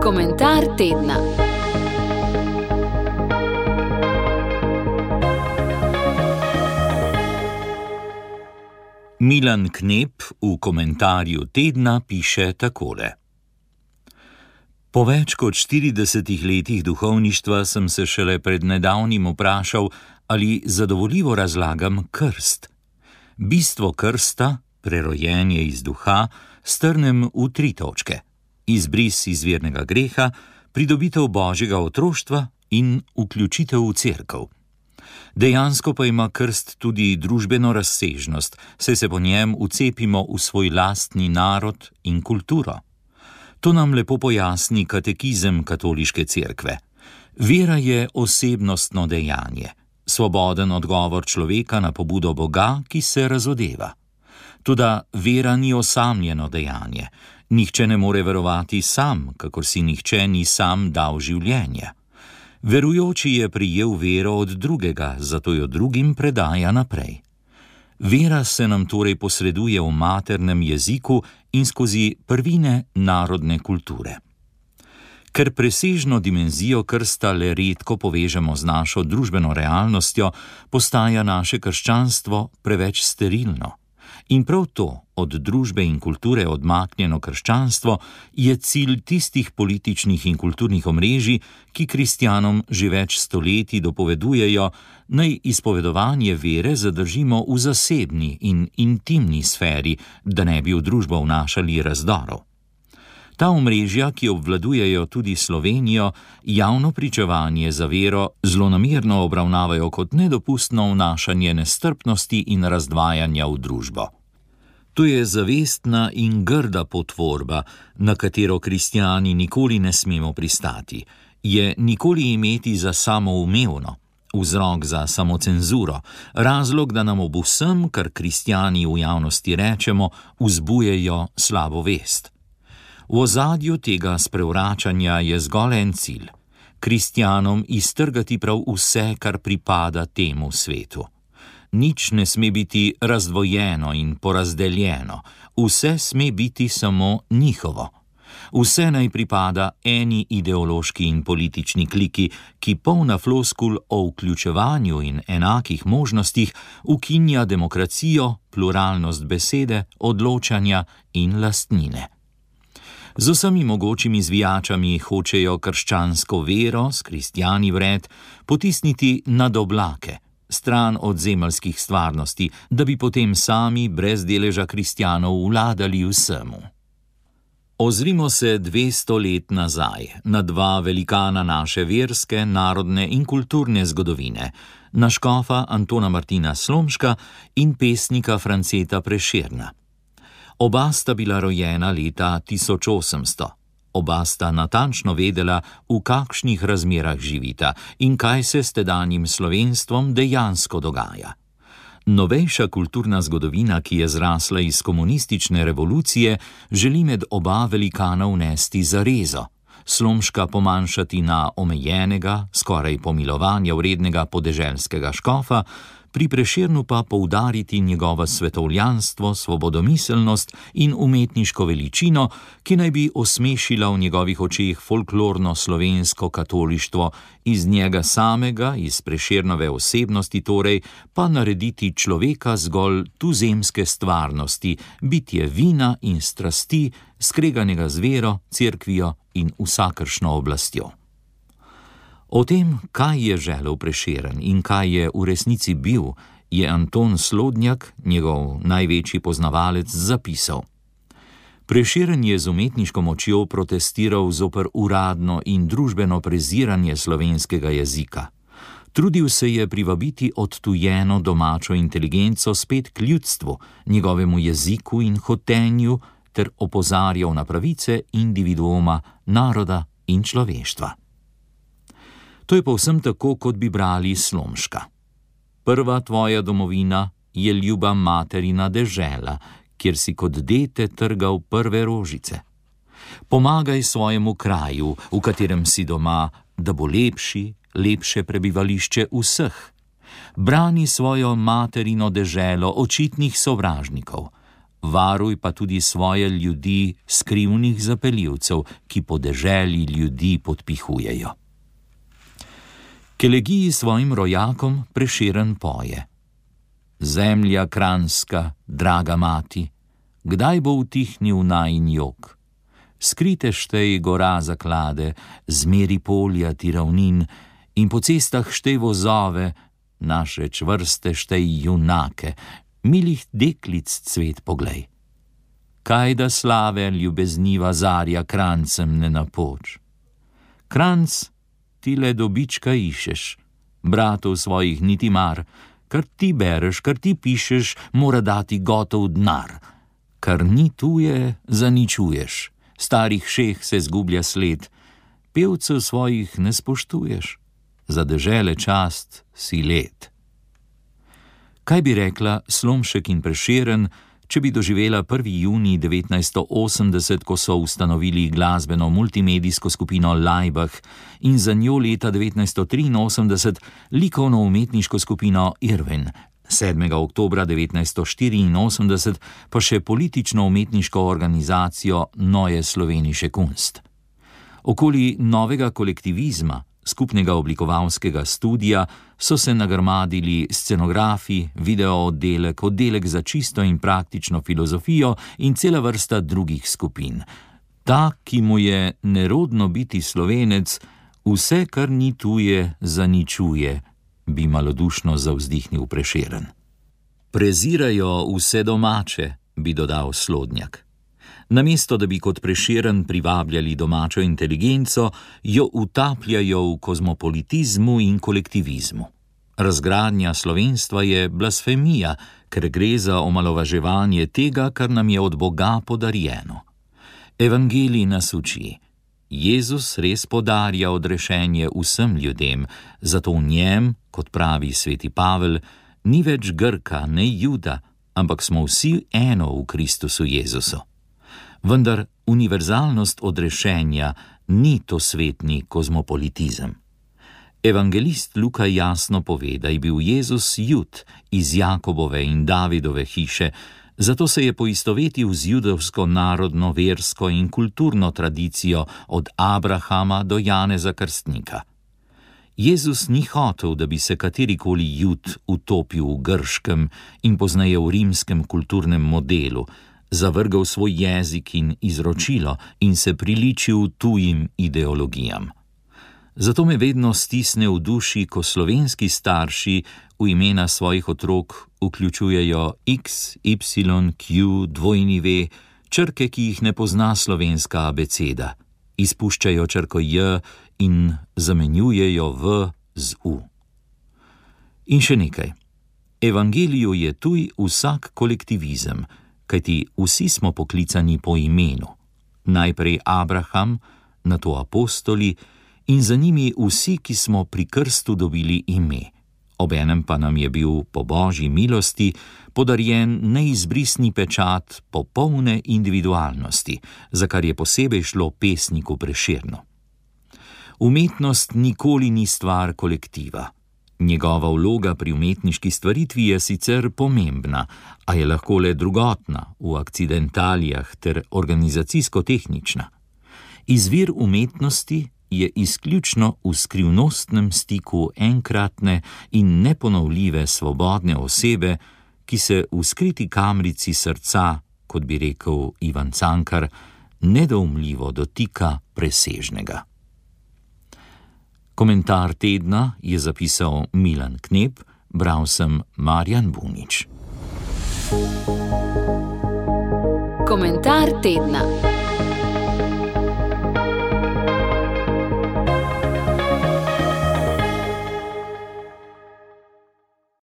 Komentar tedna. Milan Knep v komentarju tedna piše takole. Po več kot 40 letih duhovništva sem se šele pred nedavnim vprašal, ali zadovoljivo razlagam krst. Bistvo krsta, prerojenje iz duha, strnem v 3 točke: izbris izvirnega greha, pridobitev božjega otroštva in vključitev v cerkev. Dejansko pa ima krst tudi družbeno razsežnost, saj se po njem vcepimo v svoj lastni narod in kulturo. To nam lepo pojasni katekizem katoliške cerkve. Vera je osebnostno dejanje, svoboden odgovor človeka na pobudo Boga, ki se razodeva. Toda vera ni osamljeno dejanje. Nihče ne more verovati sam, kakor si nihče ni sam dal življenje. Verujoči je prijel vero od drugega, zato jo drugim predaja naprej. Vera se nam torej posreduje v maternem jeziku in skozi prvine narodne kulture. Ker presežno dimenzijo krsta le redko povežemo z našo družbeno realnostjo, postaja naše krščanstvo preveč sterilno. In prav to, od družbe in kulture odmaknjeno krščanstvo, je cilj tistih političnih in kulturnih omrežij, ki kristjanom že več stoletij dopovedujejo, naj izpovedovanje vere zadržimo v zasebni in intimni sferi, da ne bi v družbo vnašali razdorov. Ta omrežja, ki obvladujejo tudi Slovenijo, javno pričevanje za vero zlonamerno obravnavajo kot nedopustno vnašanje nestrpnosti in razdvajanja v družbo. To je zavestna in grda potvorba, na katero kristjani nikoli ne smemo pristati. Je nikoli imeti za samoumevno, vzrok za samocenzuro, razlog, da nam ob vsem, kar kristjani v javnosti rečemo, vzbujejo slabo vest. V ozadju tega sprevračanja je zgolj en cilj: kristjanom iztrgati prav vse, kar pripada temu svetu. Nič ne sme biti razdvojeno in porazdeljeno, vse sme biti samo njihovo. Vse naj pripada eni ideološki in politični kliki, ki polna floskul o vključevanju in enakih možnostih ukinja demokracijo, pluralnost besede, odločanja in lastnine. Z vsemi mogočimi zvijačami hočejo krščansko vero s kristjani vred potisniti nad oblake, stran od zemeljskih stvarnosti, da bi potem sami brez deleža kristjanov vladali vsemu. Ozrimo se 200 let nazaj na 2 velikana naše verske, narodne in kulturne zgodovine, na škofa Antona Martina Slomška in pesnika Franceta Prešerna. Oba sta bila rojena leta 1800. Oba sta natančno vedela, v kakšnih razmerah živita in kaj se s tedanjim slovenstvom dejansko dogaja. Novejša kulturna zgodovina, ki je zrasla iz komunistične revolucije, želi med oba velikana vnesti zarezo, Slomška pomanjšati na omejenega, skoraj pomilovanja vrednega podeželskega škofa, pri Prešernu pa poudariti njegovo svetovljanstvo, svobodomiselnost in umetniško veličino, ki naj bi osmešila v njegovih očeh folklorno slovensko katolištvo, iz njega samega, iz Prešernove osebnosti torej, pa narediti človeka zgolj tuzemske stvarnosti, bitje vina in strasti, skreganega z vero, cerkvijo in vsakršno oblastjo. O tem, kaj je želel Prešeren in kaj je v resnici bil, je Anton Slodnjak, njegov največji poznavalec, zapisal. Prešeren je z umetniško močjo protestiral zoper uradno in družbeno preziranje slovenskega jezika. Trudil se je privabiti odtujeno domačo inteligenco spet k ljudstvu, njegovemu jeziku in hotenju, ter opozarjal na pravice individuuma, naroda in človeštva. To je povsem tako, kot bi brali Slomška. Prva tvoja domovina je ljuba materina dežela, kjer si kot dete trgal prve rožice. Pomagaj svojemu kraju, v katerem si doma, da bo lepše prebivališče vseh. Brani svojo materino deželo očitnih sovražnikov. varuj pa tudi svoje ljudi skrivnih zapeljivcev, ki po deželi ljudi podpihujejo. K elegiji svojim rojakom Prešeren poje: Zemlja kranjska, draga mati, kdaj bo utihnil najin jok? Skrite štej gora zaklade, zmeri polja ti ravnin, in po cestah štej vozove, naše čvrste štej junake, milih deklic cvet poglej. Kaj da slave ljubezniva zarja krancem ne napoč? Kranc, ti le dobička išeš, bratov svojih niti mar, kar ti bereš, kar ti pišeš, mora dati gotov denar. Kar ni tuje, zaničuješ, starih šeh se zgublja sled, pevcev svojih ne spoštuješ, za dežele čast si led. Kaj bi rekla Slomšek in Prešeren, če bi doživela 1. junij 1980, ko so ustanovili glasbeno multimedijsko skupino Laibach in za njo leta 1983 likovno-umetniško skupino Irvin, 7. oktobra 1984 pa še politično-umetniško organizacijo Neue Slovenische Kunst. Okoli novega kolektivizma, skupnega oblikovalskega studia, so se nagrmadili scenografi, videooddelek, oddelek za čisto in praktično filozofijo in cela vrsta drugih skupin. Ta, ki mu je nerodno biti Slovenec, vse, kar ni tuje, zaničuje, bi malodušno zavzdihnil Prešeren. Prezirajo vse domače, bi dodal Slodnjak. Namesto da bi kot Prešeren privabljali domačo inteligenco, jo utapljajo v kozmopolitizmu in kolektivizmu. Razgradnja slovenstva je blasfemija, ker gre za omalovaževanje tega, kar nam je od Boga podarjeno. Evangelij nas uči: Jezus res podarja odrešenje vsem ljudem, zato v njem, kot pravi sveti Pavel, ni več Grka, ne Juda, ampak smo vsi eno v Kristusu Jezusu. Vendar univerzalnost odrešenja ni to svetni kozmopolitizem. Evangelist Luka jasno pove, da je bil Jezus Jud iz Jakobove in Davidove hiše, zato se je poistovetil z judovsko narodno, versko in kulturno tradicijo od Abrahama do Janeza Krstnika. Jezus ni hotel, da bi se katerikoli Jud utopil v grškem in pozneje v rimskem kulturnem modelu, zavrgal svoj jezik in izročilo in se priličil tujim ideologijam. Zato me vedno stisne v duši, ko slovenski starši v imena svojih otrok vključujejo X, Y, Q, W, črke, ki jih ne pozna slovenska abeceda, izpuščajo črko J in zamenjujejo V z U. In še nekaj. Evangeliju je tuj vsak kolektivizem, kajti vsi smo poklicani po imenu. Najprej Abraham, nato apostoli in za njimi vsi, ki smo pri krstu dobili ime. Obenem pa nam je bil po Božji milosti podarjen neizbrisni pečat popolne individualnosti, za kar je posebej šlo pesniku Prešernu. Umetnost nikoli ni stvar kolektiva. Njegova vloga pri umetniški stvaritvi je sicer pomembna, a je lahko le drugotna, v akcidentalijah ter organizacijsko-tehnična. Izvir umetnosti je izključno v skrivnostnem stiku enkratne in neponovljive svobodne osebe, ki se v skriti kamrici srca, kot bi rekel Ivan Cankar, nedoumljivo dotika presežnega. Komentar tedna je zapisal Milan Knep, bral sem Marjan Bunič. Komentar tedna.